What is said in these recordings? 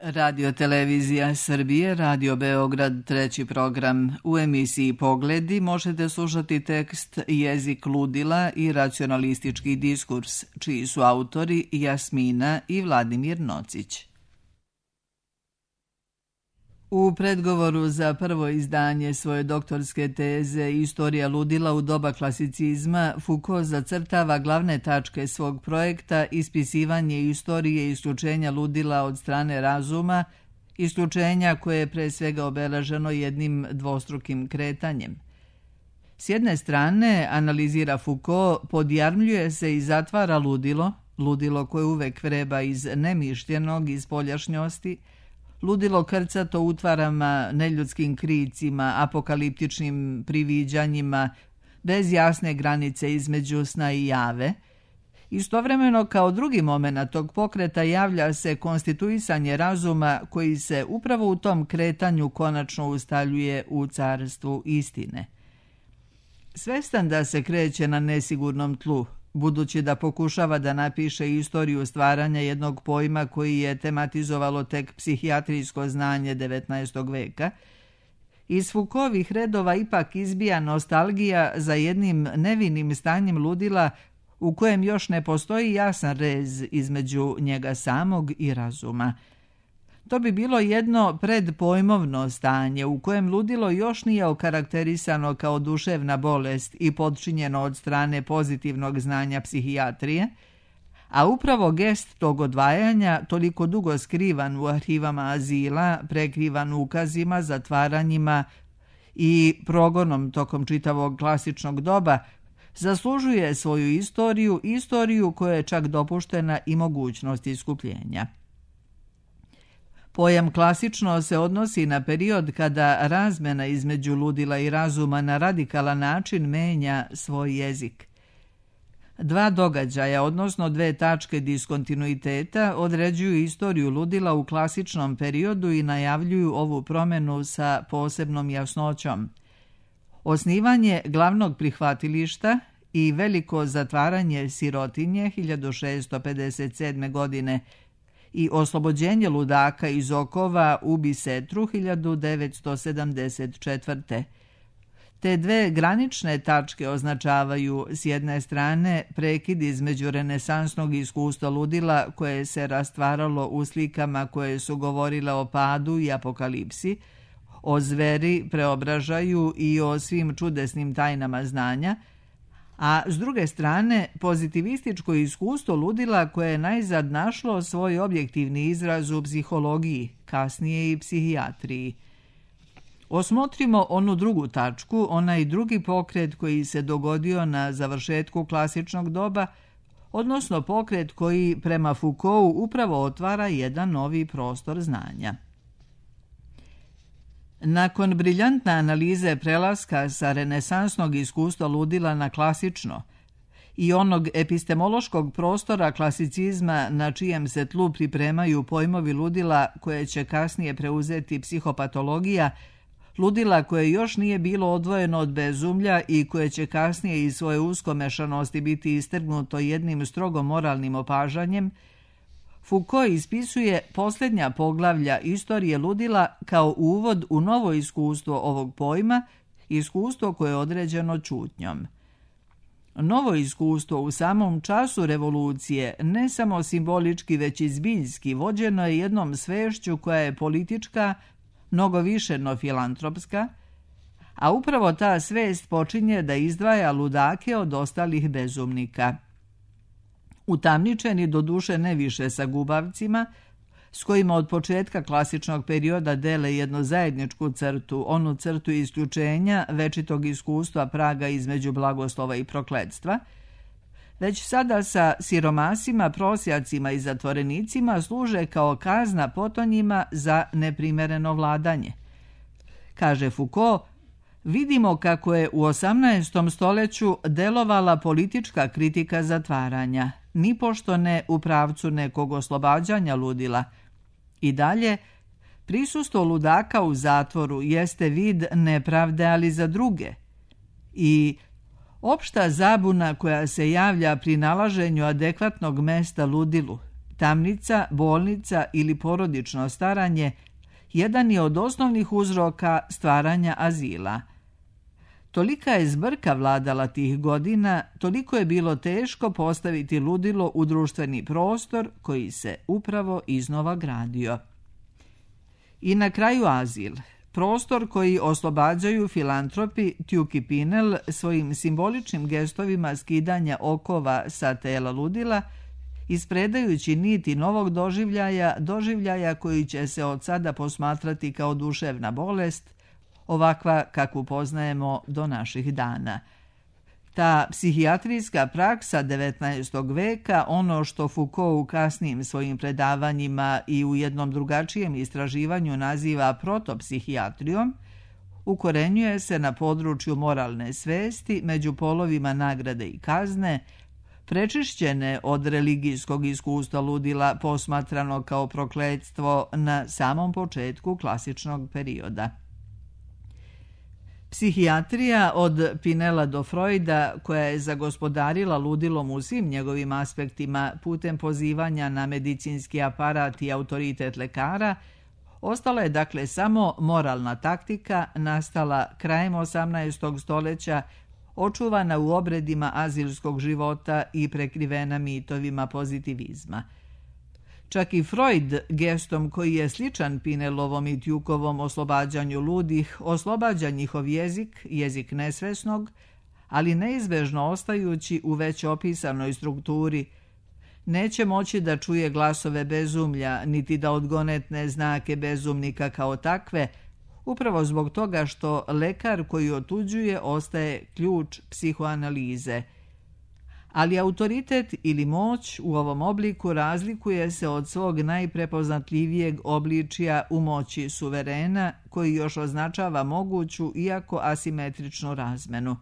Radio Televizija Srbije, Radio Beograd, treći program. U emisiji Pogledi možete slušati tekst Jezik ludila i racionalistički diskurs, čiji su autori Jasmina i Vladimir Nocić. U predgovoru za prvo izdanje svoje doktorske teze Istorija ludila u doba klasicizma, Foucault zacrtava glavne tačke svog projekta ispisivanje istorije isključenja ludila od strane razuma, isključenja koje je pre svega obeleženo jednim dvostrukim kretanjem. S jedne strane, analizira Foucault, podjarmljuje se i zatvara ludilo koje uvek vreba iz nemišljenog, iz spoljašnjosti, ludilo krcato utvarama, neljudskim kricima, apokaliptičnim priviđanjima, bez jasne granice između sna i jave. Istovremeno, kao drugi moment tog pokreta javlja se konstituisanje razuma koji se upravo u tom kretanju konačno ustaljuje u carstvu istine. Svestan da se kreće na nesigurnom tlu, budući da pokušava da napiše istoriju stvaranja jednog pojma koji je tematizovalo tek psihijatrijsko znanje 19. veka, iz Foucaultovih redova ipak izbija nostalgija za jednim nevinim stanjem ludila u kojem još ne postoji jasan rez između njega samog i razuma. To bi bilo jedno predpojmovno stanje u kojem ludilo još nije okarakterisano kao duševna bolest i podčinjeno od strane pozitivnog znanja psihijatrije, a upravo gest tog odvajanja, toliko dugo skrivan u arhivama azila, prekrivan ukazima, zatvaranjima i progonom tokom čitavog klasičnog doba, zaslužuje svoju istoriju koja je čak dopuštena i mogućnost iskupljenja. Pojam klasično se odnosi na period kada razmena između ludila i razuma na radikalan način menja svoj jezik. Dva događaja, odnosno dve tačke diskontinuiteta, određuju istoriju ludila u klasičnom periodu i najavljuju ovu promenu sa posebnom jasnoćom. Osnivanje glavnog prihvatilišta i veliko zatvaranje sirotinje 1657. godine i oslobođenje ludaka iz okova u Bisetru 1974. Te dve granične tačke označavaju s jedne strane prekid između renesansnog iskustva ludila koje se rastvaralo u slikama koje su govorile o padu i apokalipsi, o zveri, preobražaju i o svim čudesnim tajnama znanja, a s druge strane pozitivističko iskustvo ludila koje je najzad našlo svoj objektivni izraz u psihologiji, kasnije i psihijatriji. Osmotrimo onu drugu tačku, onaj drugi pokret koji se dogodio na završetku klasičnog doba, odnosno pokret koji prema Foucaultu upravo otvara jedan novi prostor znanja. Nakon briljantne analize prelaska sa renesansnog iskustva ludila na klasično i onog epistemološkog prostora klasicizma na čijem se tlu pripremaju pojmovi ludila koje će kasnije preuzeti psihopatologija, ludila koje još nije bilo odvojeno od bezumlja i koje će kasnije iz svoje uskomešanosti biti istrgnuto jednim strogo moralnim opažanjem, Foucault ispisuje posljednja poglavlja istorije ludila kao uvod u novo iskustvo ovog pojma, iskustvo koje je određeno ćutnjom. Novo iskustvo u samom času revolucije, ne samo simbolički već i zbiljski, vođeno je jednom svešću koja je politička, mnogo više no filantropska, a upravo ta svest počinje da izdvaja ludake od ostalih bezumnika. Utamničeni doduše ne više sa gubavcima, s kojima od početka klasičnog perioda dele jednu zajedničku crtu, onu crtu isključenja večitog iskustva praga između blagoslova i prokletstva, već sada sa siromasima, prosjacima i zatvorenicima služe kao kazna potonjima za neprimereno vladanje. Kaže Foucault, vidimo kako je u 18. stoljeću delovala politička kritika zatvaranja, nipošto ne u pravcu nekog oslobađanja ludila. I dalje, prisustvo ludaka u zatvoru jeste vid nepravde, ali za druge. I opšta zabuna koja se javlja pri nalaženju adekvatnog mesta ludilu, Tamnica, bolnica ili porodično staranje jedan je od osnovnih uzroka stvaranja azila. Tolika je zbrka vladala tih godina, toliko je bilo teško postaviti ludilo u društveni prostor koji se upravo iznova gradio. I na kraju azil, prostor koji oslobađaju filantropi Tjuki Pinel svojim simboličnim gestovima skidanja okova sa tela ludila, ispredajući niti novog doživljaja koji će se od sada posmatrati kao duševna bolest, ovakva kakvu poznajemo do naših dana. Ta psihijatrijska praksa 19. veka, ono što Foucault u kasnijim svojim predavanjima i u jednom drugačijem istraživanju naziva protopsihijatrijom, ukorenjuje se na području moralne svesti među polovima nagrade i kazne, prečišćene od religijskog iskustva ludila posmatrano kao prokletstvo na samom početku klasičnog perioda. Psihijatrija od Pinela do Freuda, koja je zagospodarila ludilom u svim njegovim aspektima putem pozivanja na medicinski aparat i autoritet lekara, ostala je dakle samo moralna taktika nastala krajem 18. stoljeća, očuvana u obredima azilskog života i prekrivena mitovima pozitivizma. Čak i Freud, gestom koji je sličan Pinelovom i Tjukovom oslobađanju ludih, oslobađa njihov jezik nesvesnog, ali neizbežno ostajući u već opisanoj strukturi, neće moći da čuje glasove bezumlja, niti da odgonetne znake bezumnika kao takve, upravo zbog toga što lekar koji otuđuje ostaje ključ psihoanalize. Ali autoritet ili moć u ovom obliku razlikuje se od svog najprepoznatljivijeg obličija u moći suverena, koji još označava moguću, iako asimetričnu razmenu.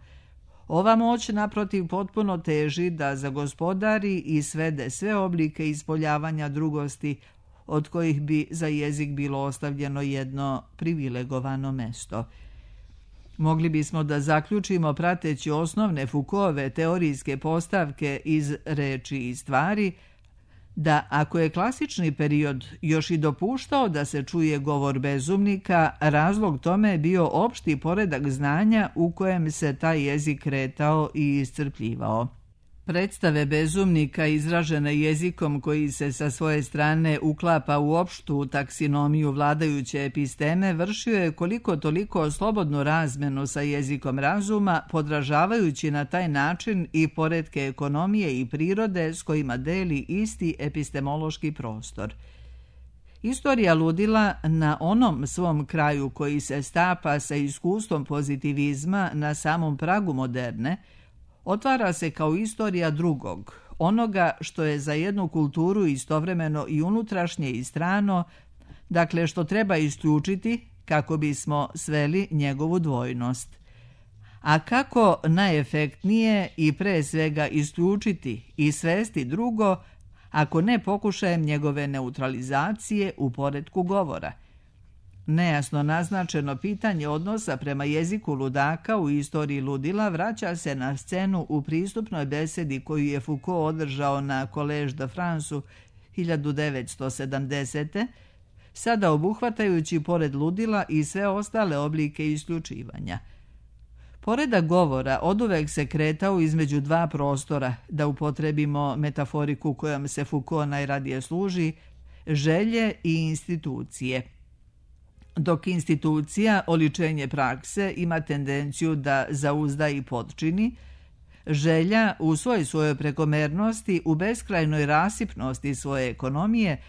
Ova moć, naprotiv, potpuno teži da zagospodari i svede sve oblike ispoljavanja drugosti, od kojih bi za jezik bilo ostavljeno jedno privilegovano mesto. Mogli bismo da zaključimo, prateći osnovne Foucaultove teorijske postavke iz reči i stvari, da ako je klasični period još i dopuštao da se čuje govor bezumnika, razlog tome je bio opšti poredak znanja u kojem se taj jezik kretao i iscrpljivao. Predstave bezumnika izražene jezikom koji se sa svoje strane uklapa u opštu taksinomiju vladajuće episteme vršio je koliko toliko slobodnu razmenu sa jezikom razuma, podražavajući na taj način i poretke ekonomije i prirode s kojima deli isti epistemološki prostor. Istorija ludila na onom svom kraju koji se stapa sa iskustvom pozitivizma na samom pragu moderne, otvara se kao istorija drugog, onoga što je za jednu kulturu istovremeno i unutrašnje i strano, dakle što treba isključiti kako bismo sveli njegovu dvojnost. A kako najefektnije i pre svega isključiti i svesti drugo, ako ne pokušajem njegove neutralizacije u poretku govora? Nejasno naznačeno pitanje odnosa prema jeziku ludaka u istoriji ludila vraća se na scenu u pristupnoj besedi koju je Foucault održao na Collège de France 1970. Sada obuhvatajući pored ludila i sve ostale oblike isključivanja. Poredak govora oduvek se kretao između dva prostora, da upotrebimo metaforiku kojom se Foucault najradije služi, želje i institucije. Dok institucija, oličenje prakse, ima tendenciju da zauzda i potčini, želja u svojoj prekomernosti, u beskrajnoj rasipnosti svoje ekonomije,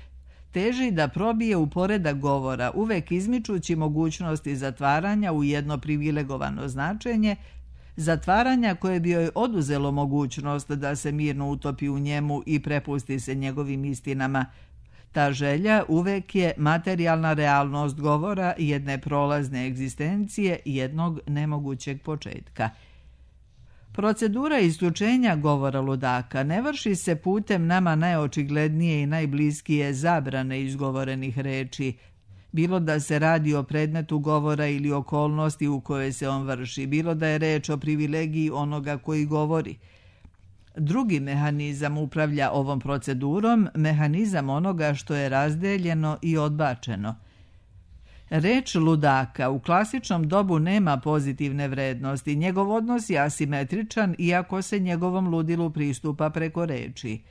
teži da probije u poredak govora, uvek izmičući mogućnosti zatvaranja u jedno privilegovano značenje, zatvaranja koje bi joj oduzelo mogućnost da se mirno utopi u njemu i prepusti se njegovim istinama. Ta želja uvek je materijalna realnost govora jedne prolazne egzistencije jednog nemogućeg početka. Procedura isključenja govora ludaka ne vrši se putem nama najočiglednije i najbliskije zabrane izgovorenih reči, bilo da se radi o predmetu govora ili okolnosti u kojoj se on vrši, bilo da je reč o privilegiji onoga koji govori. Drugi mehanizam upravlja ovom procedurom, mehanizam onoga što je razdeljeno i odbačeno. Reč ludaka u klasičnom dobu nema pozitivne vrednosti. Njegov odnos je asimetričan iako se njegovom ludilu pristupa preko reči.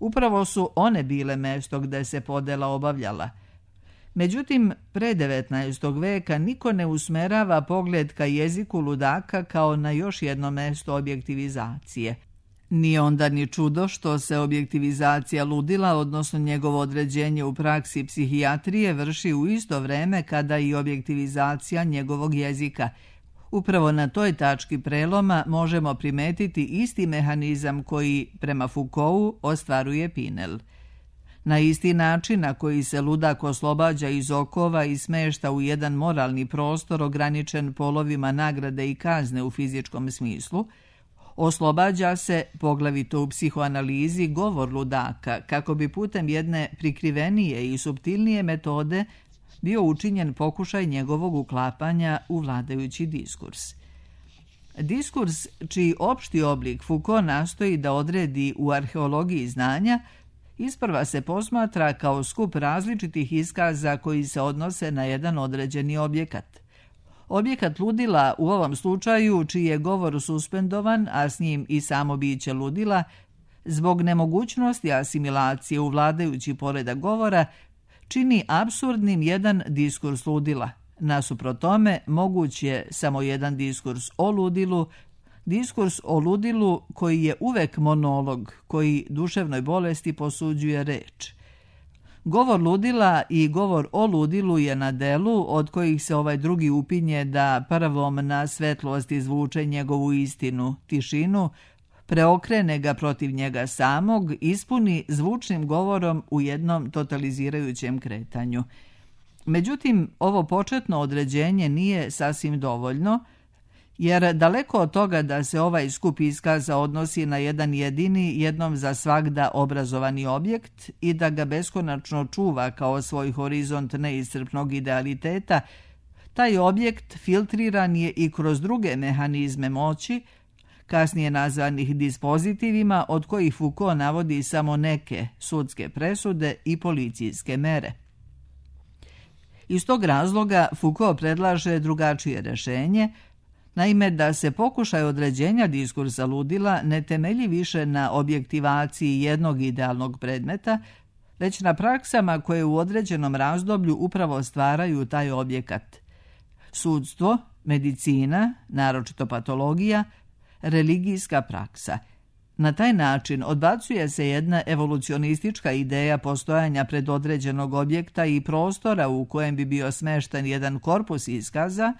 Upravo su one bile mesto gde se podela obavljala. Međutim, pre 19. veka niko ne usmerava pogled ka jeziku ludaka kao na još jedno mesto objektivizacije. Nije onda ni čudo što se objektivizacija ludila, odnosno njegovo određenje u praksi psihijatrije, vrši u isto vreme kada i objektivizacija njegovog jezika. Upravo na toj tački preloma možemo primetiti isti mehanizam koji, prema Foucaultu, ostvaruje Pinel. Na isti način na koji se ludak oslobađa iz okova i smešta u jedan moralni prostor ograničen polovima nagrade i kazne u fizičkom smislu, oslobađa se, poglavito u psihoanalizi, govor ludaka, kako bi putem jedne prikrivenije i suptilnije metode bio učinjen pokušaj njegovog uklapanja u vladajući diskurs. Diskurs, čiji opšti oblik Foucault nastoji da odredi u arheologiji znanja, isprva se posmatra kao skup različitih iskaza koji se odnose na jedan određeni objekat. Objekat ludila u ovom slučaju, čiji je govor suspendovan, a s njim i samo biće ludila, zbog nemogućnosti asimilacije u vladajući poredak govora, čini apsurdnim jedan diskurs ludila. Nasuprot tome, moguć je samo jedan diskurs o ludilu koji je uvek monolog, koji duševnoj bolesti posuđuje reč. Govor ludila i govor o ludilu je na delu, od kojih se ovaj drugi upinje da prvom na svetlost izvuče njegovu istinu, tišinu, preokrene ga protiv njega samog, ispuni zvučnim govorom u jednom totalizirajućem kretanju. Međutim, ovo početno određenje nije sasvim dovoljno, jer daleko od toga da se ovaj skup iskaza odnosi na jedan jedini, jednom za svagda obrazovani objekt i da ga beskonačno čuva kao svoj horizont neiscrpnog idealiteta, taj objekt filtriran je i kroz druge mehanizme moći, kasnije nazvanih dispozitivima, od kojih Foucault navodi samo neke sudske presude i policijske mere. Iz tog razloga Foucault predlaže drugačije rešenje, naime da se pokušaj određenja diskursa ludila ne temelji više na objektivaciji jednog idealnog predmeta, već na praksama koje u određenom razdoblju upravo stvaraju taj objekat. Sudstvo, medicina, naročito patologija, religijska praksa. Na taj način odbacuje se jedna evolucionistička ideja postojanja predodređenog objekta i prostora u kojem bi bio smešten jedan korpus iskaza,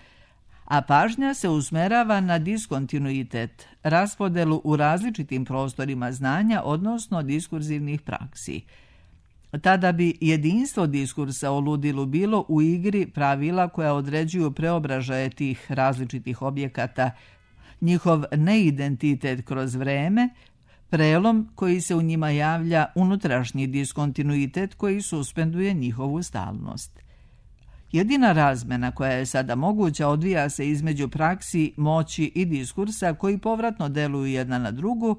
a pažnja se usmerava na diskontinuitet, raspodelu u različitim prostorima znanja, odnosno diskurzivnih praksi. Tada bi jedinstvo diskursa o ludilu bilo u igri pravila koja određuju preobražaje tih različitih objekata, njihov neidentitet kroz vreme, prelom koji se u njima javlja, unutrašnji diskontinuitet koji suspenduje njihovu stalnost. Jedina razmena koja je sada moguća odvija se između praksi, moći i diskursa koji povratno deluju jedna na drugu,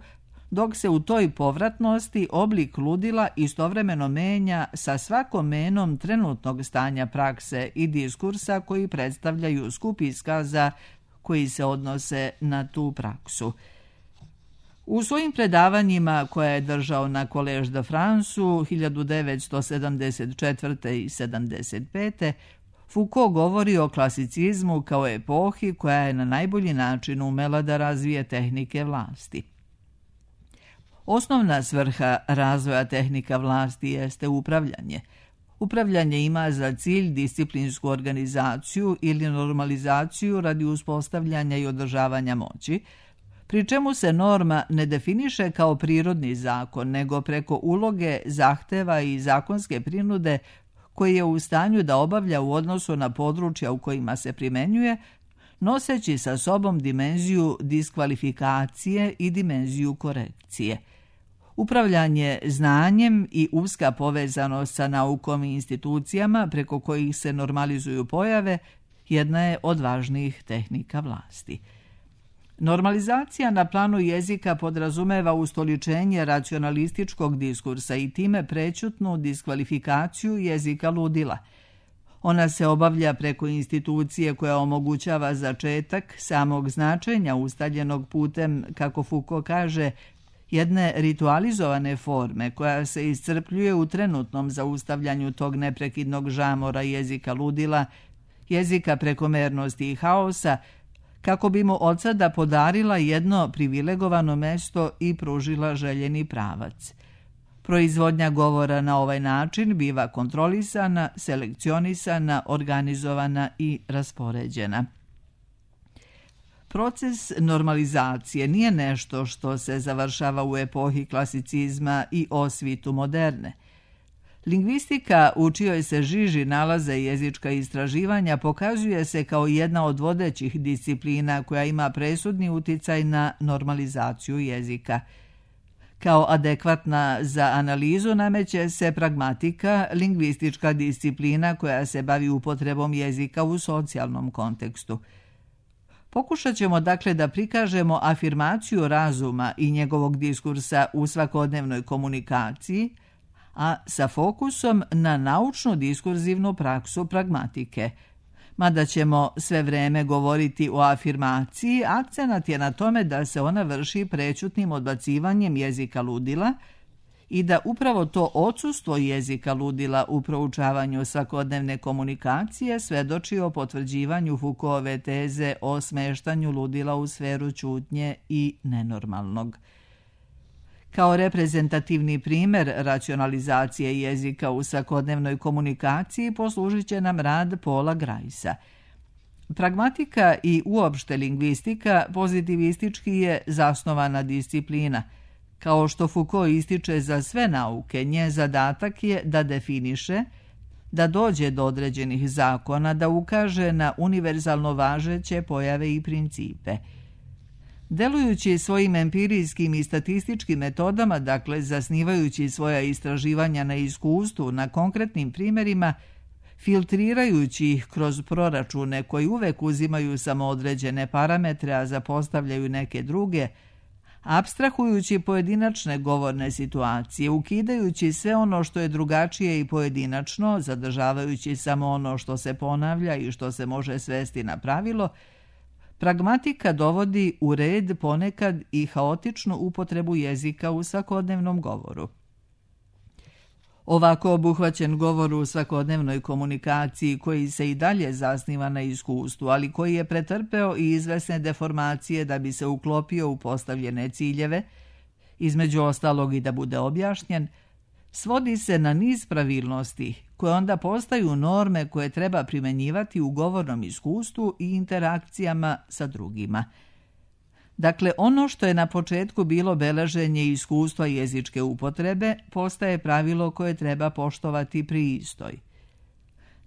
dok se u toj povratnosti oblik ludila istovremeno menja sa svakom menom trenutnog stanja prakse i diskursa koji predstavljaju skup iskaza koji se odnose na tu praksu. U svojim predavanjima koje je držao na Collège de Franceu 1974. i 1975. Foucault govori o klasicizmu kao epohi koja je na najbolji način umela da razvije tehnike vlasti. Osnovna svrha razvoja tehnika vlasti jeste upravljanje. Upravljanje ima za cilj disciplinsku organizaciju ili normalizaciju radi uspostavljanja i održavanja moći, pri čemu se norma ne definiše kao prirodni zakon, nego preko uloge, zahteva i zakonske prinude koji je u stanju da obavlja u odnosu na područja u kojima se primenjuje, noseći sa sobom dimenziju diskvalifikacije i dimenziju korekcije. Upravljanje znanjem i uska povezanost sa naukom i institucijama preko kojih se normalizuju pojave jedna je od važnijih tehnika vlasti. Normalizacija na planu jezika podrazumeva ustoličenje racionalističkog diskursa i time prećutnu diskvalifikaciju jezika ludila. Ona se obavlja preko institucije koja omogućava začetak samog značenja ustaljenog putem, kako Foucault kaže, jedne ritualizovane forme koja se iscrpljuje u trenutnom zaustavljanju tog neprekidnog žamora jezika ludila, jezika prekomernosti i haosa, kako bi mu od sada podarila jedno privilegovano mesto i pružila željeni pravac. Proizvodnja govora na ovaj način biva kontrolisana, selekcionisana, organizovana i raspoređena. Proces normalizacije nije nešto što se završava u epohi klasicizma i osvitu moderne. Lingvistika, u čijoj se žiži nalaze jezička istraživanja, pokazuje se kao jedna od vodećih disciplina koja ima presudni uticaj na normalizaciju jezika. Kao adekvatna za analizu nameće se pragmatika, lingvistička disciplina koja se bavi upotrebom jezika u socijalnom kontekstu. Pokušat ćemo dakle da prikažemo afirmaciju razuma i njegovog diskursa u svakodnevnoj komunikaciji, a sa fokusom na naučnu diskurzivnu praksu pragmatike. Mada ćemo sve vreme govoriti o afirmaciji, akcenat je na tome da se ona vrši prećutnim odbacivanjem jezika ludila i da upravo to odsustvo jezika ludila u proučavanju svakodnevne komunikacije svedoči o potvrđivanju Foucaultove teze o smeštanju ludila u sferu ćutnje i nenormalnog. Kao reprezentativni primer racionalizacije jezika u svakodnevnoj komunikaciji poslužit će nam rad Paula Griesa. Pragmatika i uopšte lingvistika pozitivistički je zasnovana disciplina. Kao što Foucault ističe za sve nauke, njen zadatak je da definiše, da dođe do određenih zakona, da ukaže na univerzalno važeće pojave i principe. Delujući svojim empirijskim i statističkim metodama, dakle zasnivajući svoja istraživanja na iskustvu, na konkretnim primjerima, filtrirajući ih kroz proračune koji uvek uzimaju samo određene parametre, a zapostavljaju neke druge, apstrahujući pojedinačne govorne situacije, ukidajući sve ono što je drugačije i pojedinačno, zadržavajući samo ono što se ponavlja i što se može svesti na pravilo, pragmatika dovodi u red ponekad i haotičnu upotrebu jezika u svakodnevnom govoru. Ovako obuhvaćen govor u svakodnevnoj komunikaciji, koji se i dalje zasniva na iskustvu, ali koji je pretrpeo i izvesne deformacije da bi se uklopio u postavljene ciljeve, između ostalog i da bude objašnjen, svodi se na niz pravilnosti koje onda postaju norme koje treba primenjivati u govornom iskustvu i interakcijama sa drugima. Dakle, ono što je na početku bilo beleženje iskustva jezičke upotrebe postaje pravilo koje treba poštovati pri istoj.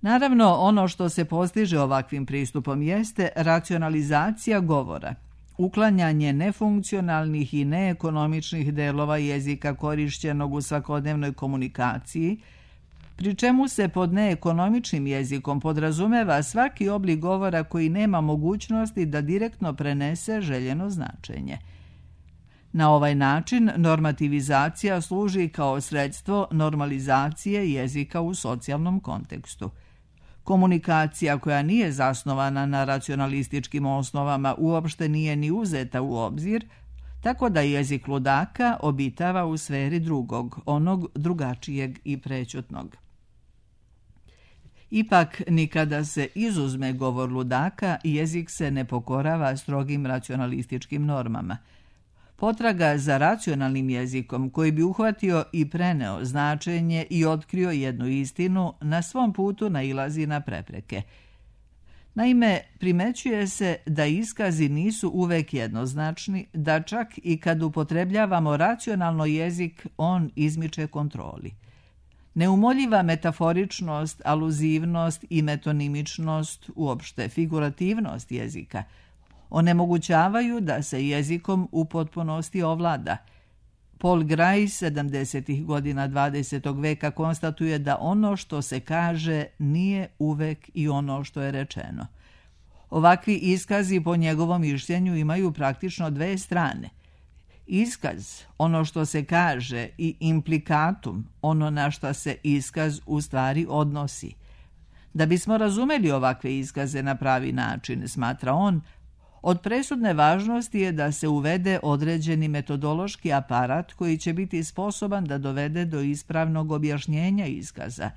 Naravno, ono što se postiže ovakvim pristupom jeste racionalizacija govora, uklanjanje nefunkcionalnih i neekonomičnih delova jezika korišćenog u svakodnevnoj komunikaciji, pri čemu se pod neekonomičnim jezikom podrazumeva svaki oblik govora koji nema mogućnosti da direktno prenese željeno značenje. Na ovaj način normativizacija služi kao sredstvo normalizacije jezika u socijalnom kontekstu. Komunikacija koja nije zasnovana na racionalističkim osnovama uopšte nije ni uzeta u obzir, tako da jezik ludaka obitava u sferi drugog, onog drugačijeg i prećutnog. Ipak, nikada se izuzme govor ludaka, jezik se ne pokorava strogim racionalističkim normama. Potraga za racionalnim jezikom koji bi uhvatio i preneo značenje i otkrio jednu istinu, na svom putu nailazi na prepreke. Naime, primećuje se da iskazi nisu uvek jednoznačni, da čak i kad upotrebljavamo racionalno jezik, on izmiče kontroli. Neumoljiva metaforičnost, aluzivnost i metonimičnost, uopšte figurativnost jezika, onemogućavaju da se jezikom u potpunosti ovlada. Paul Grais 70. godina 20. veka konstatuje da ono što se kaže nije uvek i ono što je rečeno. Ovakvi iskazi po njegovom mišljenju imaju praktično dve strane. Iskaz, ono što se kaže, i implikatum, ono na što se iskaz u stvari odnosi. Da bismo razumeli ovakve iskaze na pravi način, smatra on, od presudne važnosti je da se uvede određeni metodološki aparat koji će biti sposoban da dovede do ispravnog objašnjenja iskaza.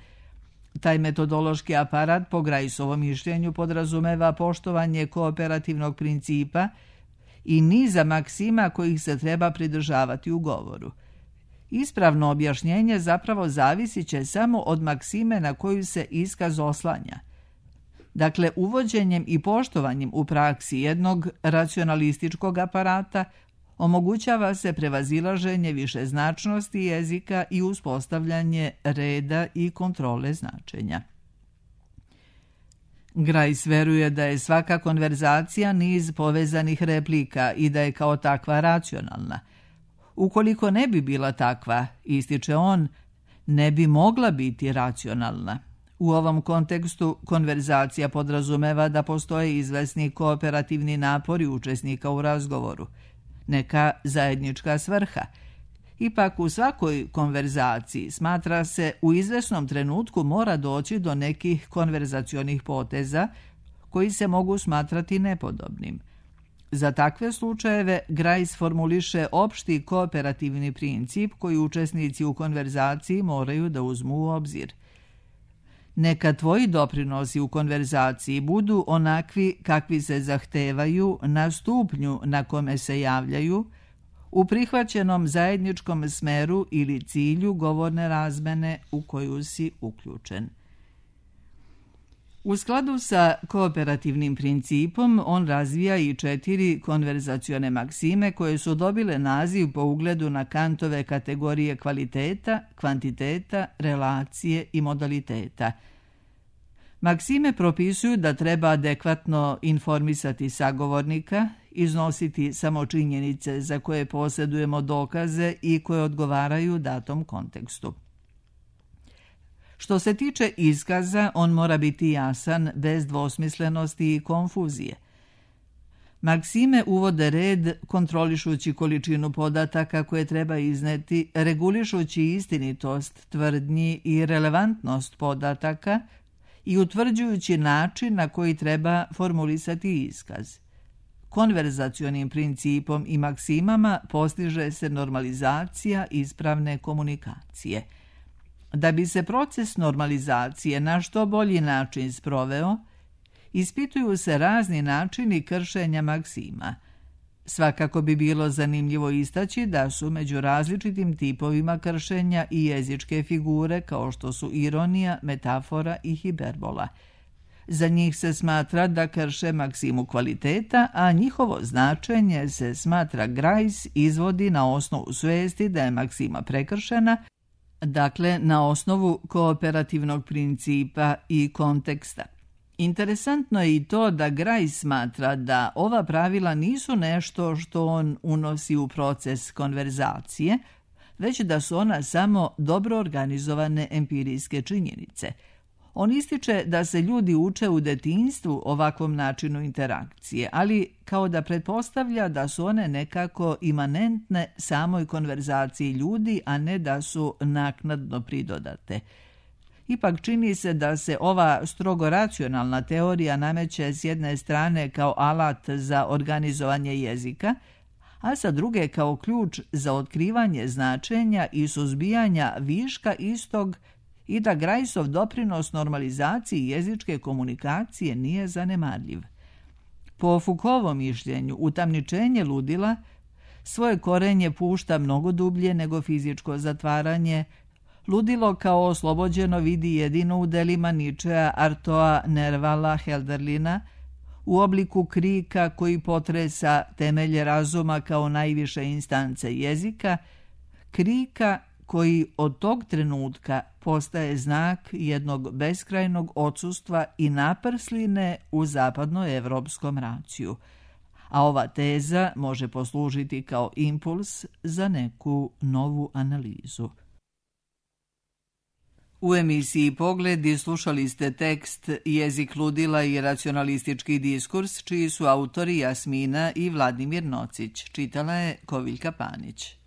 Taj metodološki aparat po Griceovom mišljenju podrazumeva poštovanje kooperativnog principa i niza maksima kojih se treba pridržavati u govoru. Ispravno objašnjenje zapravo zavisit će samo od maksime na koju se iskaz oslanja. Dakle, uvođenjem i poštovanjem u praksi jednog racionalističkog aparata omogućava se prevazilaženje višeznačnosti jezika i uspostavljanje reda i kontrole značenja. Grice veruje da je svaka konverzacija niz povezanih replika i da je kao takva racionalna. Ukoliko ne bi bila takva, ističe on, ne bi mogla biti racionalna. U ovom kontekstu konverzacija podrazumeva da postoje izvesni kooperativni napori učesnika u razgovoru, neka zajednička svrha. Ipak u svakoj konverzaciji smatra se u izvesnom trenutku mora doći do nekih konverzacionih poteza koji se mogu smatrati nepodobnim. Za takve slučajeve Grice formuliše opšti kooperativni princip koji učesnici u konverzaciji moraju da uzmu u obzir. Neka tvoji doprinosi u konverzaciji budu onakvi kakvi se zahtevaju na stupnju na kome se javljaju, u prihvaćenom zajedničkom smeru ili cilju govorne razmene u koju si uključen. U skladu sa kooperativnim principom, on razvija i 4 konverzacione maksime koje su dobile naziv po ugledu na Kantove kategorije kvaliteta, kvantiteta, relacije i modaliteta. Maksime propisuju da treba adekvatno informisati sagovornika, iznositi samo činjenice za koje posjedujemo dokaze i koje odgovaraju datom kontekstu. Što se tiče iskaza, on mora biti jasan, bez dvosmislenosti i konfuzije. Maksime uvode red, kontrolišući količinu podataka koje treba izneti, regulišući istinitost tvrdnji i relevantnost podataka i utvrđujući način na koji treba formulisati iskaz. Konverzacionim principom i maksimama postiže se normalizacija ispravne komunikacije. Da bi se proces normalizacije na što bolji način sproveo, ispituju se razni načini kršenja maksima. Svakako bi bilo zanimljivo istaći da su među različitim tipovima kršenja i jezičke figure kao što su ironija, metafora i hiperbola. Za njih se smatra da krše maksimu kvaliteta, a njihovo značenje se smatra Grice izvodi na osnovu svesti da je maksima prekršena, dakle na osnovu kooperativnog principa i konteksta. Interesantno je i to da Grice smatra da ova pravila nisu nešto što on unosi u proces konverzacije, već da su ona samo dobro organizovane empirijske činjenice. On ističe da se ljudi uče u detinjstvu ovakvom načinu interakcije, ali kao da pretpostavlja da su one nekako imanentne samoj konverzaciji ljudi, a ne da su naknadno pridodate. Ipak čini se da se ova strogo racionalna teorija nameće s jedne strane kao alat za organizovanje jezika, a sa druge kao ključ za otkrivanje značenja i suzbijanja viška istog i da Griceov doprinos normalizaciji jezičke komunikacije nije zanemarljiv. Po Foucaultovom mišljenju, utamničenje ludila svoje korenje pušta mnogo dublje nego fizičko zatvaranje. Ludilo kao oslobođeno vidi jedino u delima Nietzschea, Artaud'a, Nervala, Hölderlina, u obliku krika koji potresa temelje razuma kao najviše instance jezika, krika koji od tog trenutka postaje znak jednog beskrajnog odsustva i naprsline u zapadnoevropskom raciju. A ova teza može poslužiti kao impuls za neku novu analizu. U emisiji Pogledi slušali ste tekst Jezik ludila i racionalistički diskurs, čiji su autori Jasmina i Vladimir Nocić. Čitala je Koviljka Panić.